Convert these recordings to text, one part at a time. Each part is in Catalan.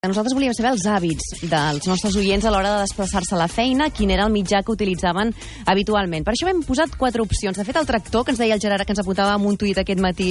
Nosaltres volíem saber els hàbits dels nostres oients a l'hora de desplaçar-se a la feina, quin era el mitjà que utilitzaven habitualment. Per això hem posat 4 opcions. De fet, el tractor, que ens deia el Gerard, que ens apuntava amb un tuit aquest matí,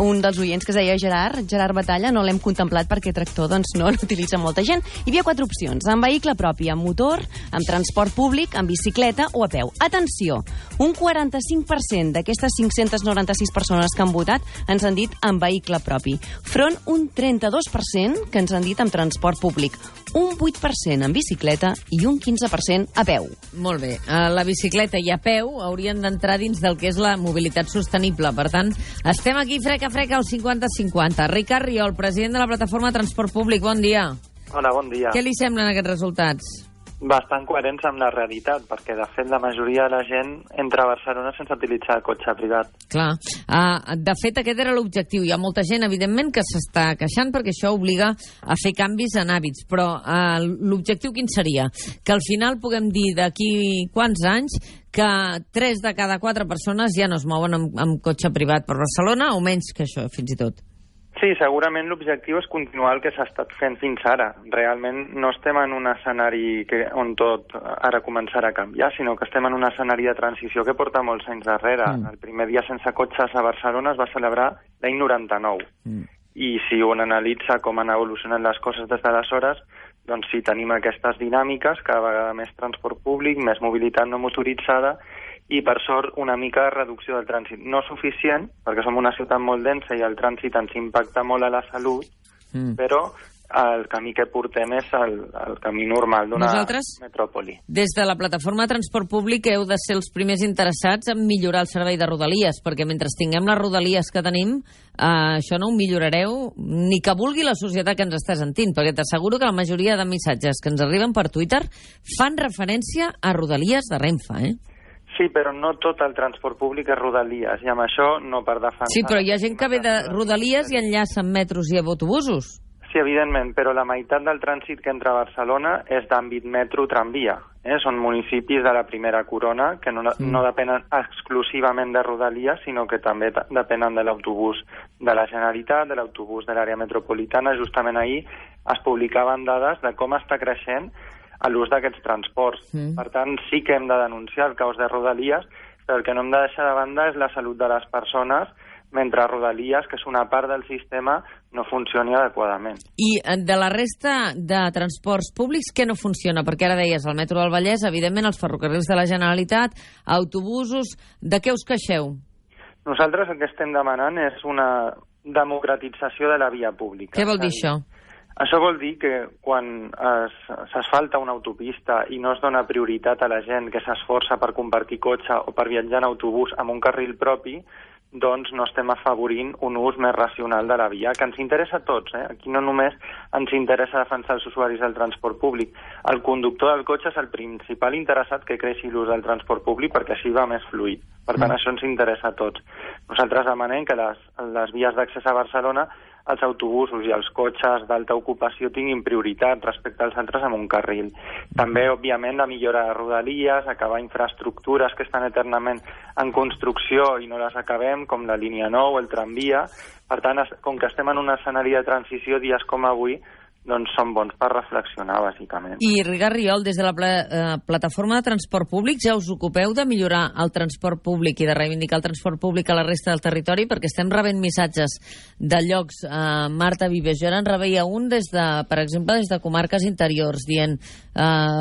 un dels oients que es deia Gerard Batalla, no l'hem contemplat perquè tractor doncs, no l'utilitza molta gent. Hi havia 4 opcions: amb vehicle propi, amb motor, amb transport públic, amb bicicleta o a peu. Atenció, un 45% d'aquestes 596 persones que han votat ens han dit amb vehicle propi, front un 32% que ens han dit amb transport públic, un 8% en bicicleta i un 15% a peu. Molt bé. La bicicleta i a peu haurien d'entrar dins del que és la mobilitat sostenible. Per tant, estem aquí frec a frec al 50-50. Ricard Riol, president de la plataforma Transport Públic, bon dia. Hola, bon dia. Què li semblen aquests resultats? Bastant coherents amb la realitat, perquè de fet la majoria de la gent entra a Barcelona sense utilitzar cotxe privat. Clar. De fet, aquest era l'objectiu. Hi ha molta gent, evidentment, que s'està queixant perquè això obliga a fer canvis en hàbits. Però l'objectiu quin seria? Que al final puguem dir d'aquí quants anys que 3 de cada 4 persones ja no es mouen amb cotxe privat per Barcelona, o menys que això, fins i tot. Sí, segurament l'objectiu és continuar el que s'ha estat fent fins ara. Realment no estem en un escenari on tot ara començarà a canviar, sinó que estem en un escenari de transició que porta molts anys darrere. El primer dia sense cotxes a Barcelona es va celebrar l'any 99. I si un analitza com han evolucionat les coses des d'aleshores, doncs sí, tenim aquestes dinàmiques, cada vegada més transport públic, més mobilitat no motoritzada, i per sort una mica de reducció del trànsit. No suficient, perquè som una ciutat molt densa i el trànsit ens impacta molt a la salut, però el camí que portem és el camí normal d'una metròpoli. Des de la plataforma de transport públic heu de ser els primers interessats en millorar el servei de Rodalies, perquè mentre tinguem les Rodalies que tenim, això no ho millorareu ni que vulgui la societat que ens està sentint, perquè t'asseguro que la majoria de missatges que ens arriben per Twitter fan referència a Rodalies de Renfe, Sí, però no tot el transport públic és Rodalies, i amb això no per defensar... Sí, però hi ha gent que ve de Rodalies i enllaça amb metros i autobusos. Sí, evidentment, però la meitat del trànsit que entra a Barcelona és d'àmbit metro-tramvia. Són municipis de la primera corona que no depenen exclusivament de Rodalies, sinó que també depenen de l'autobús de la Generalitat, de l'autobús de l'àrea metropolitana. Justament ahir es publicaven dades de com està creixent a l'ús d'aquests transports. Per tant, sí que hem de denunciar el caos de Rodalies, però el que no hem de deixar de banda és la salut de les persones, mentre Rodalies, que és una part del sistema, no funcioni adequadament. I de la resta de transports públics, què no funciona? Perquè ara deies el metro del Vallès, evidentment els ferrocarrils de la Generalitat, autobusos... De què us queixeu? Nosaltres el que estem demanant és una democratització de la via pública. Què vol dir això? Això vol dir que quan s'asfalta una autopista i no es dona prioritat a la gent que s'esforça per compartir cotxe o per viatjar en autobús amb un carril propi, doncs no estem afavorint un ús més racional de la via, que ens interessa a tots. Aquí no només ens interessa defensar els usuaris del transport públic. El conductor del cotxe és el principal interessat que creixi l'ús del transport públic perquè així va més fluid. Per tant, això ens interessa a tots. Nosaltres demanem que les vies d'accés a Barcelona, els autobusos i els cotxes d'alta ocupació tinguin prioritat respecte als altres amb un carril. També, òbviament, la millora de Rodalies, acabar infraestructures que estan eternament en construcció i no les acabem, com la línia 9 o el tramvia. Per tant, com que estem en un escenari de transició, dies com avui, doncs són bons per reflexionar, bàsicament. I, Ricard Riol, des de la plataforma de transport públic ja us ocupeu de millorar el transport públic i de reivindicar el transport públic a la resta del territori, perquè estem rebent missatges de llocs. Marta Vives, jo ara en rebeia un, per exemple, des de comarques interiors, dient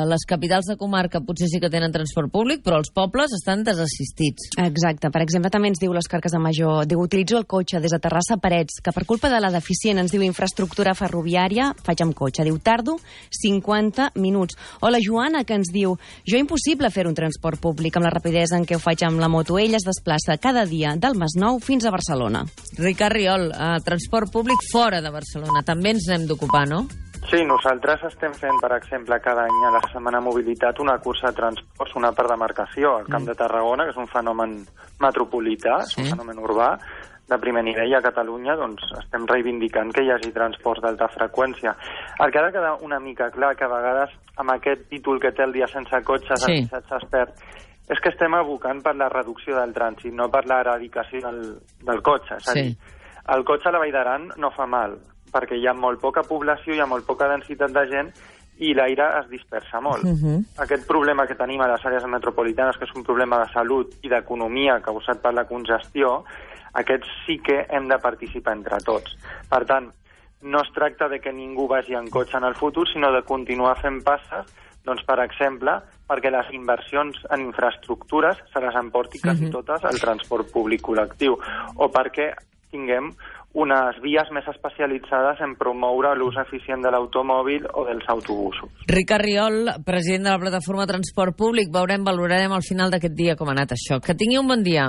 les capitals de comarca potser sí que tenen transport públic, però els pobles estan desassistits. Exacte. Per exemple, també ens diu l'Òscar Casamajor, diu, utilitzo el cotxe des de Terrassa a Parets, que per culpa de la deficient, ens diu, infraestructura ferroviària, faig amb cotxe. Diu, tardo 50 minuts. O la Joana, que ens diu, jo impossible fer un transport públic amb la rapidesa en què ho faig amb la moto. Ell es desplaça cada dia del Masnou fins a Barcelona. Ricard Riol, transport públic fora de Barcelona. També ens n'hem d'ocupar, no? Sí, nosaltres estem fent, per exemple, cada any a la Setmana Mobilitat una cursa de transports, una per demarcació al Camp de Tarragona, que és un fenomen metropolità, és un fenomen urbà, de primer nivell a Catalunya, doncs estem reivindicant que hi hagi transports d'alta freqüència. El que ha de quedar una mica clar, que a vegades amb aquest títol que té el dia sense cotxes, el missatge es perd, és que estem abocant per la reducció del trànsit, no per l'eradicació del cotxe. És a dir, el cotxe a la Vall d'Aran no fa mal, perquè hi ha molt poca població, hi ha molt poca densitat de gent i l'aire es dispersa molt. Aquest problema que tenim a les àrees metropolitanes, que és un problema de salut i d'economia causat per la congestió, aquests sí que hem de participar entre tots. Per tant, no es tracta de que ningú vagi en cotxe en el futur, sinó de continuar fent passes, doncs, per exemple, perquè les inversions en infraestructures se les emporti quasi totes al transport públic col·lectiu, o perquè tinguem unes vies més especialitzades en promoure l'ús eficient de l'automòbil o dels autobusos. Ricard Riol, president de la plataforma Transport Públic, valorarem al final d'aquest dia com ha anat això. Que tingui un bon dia.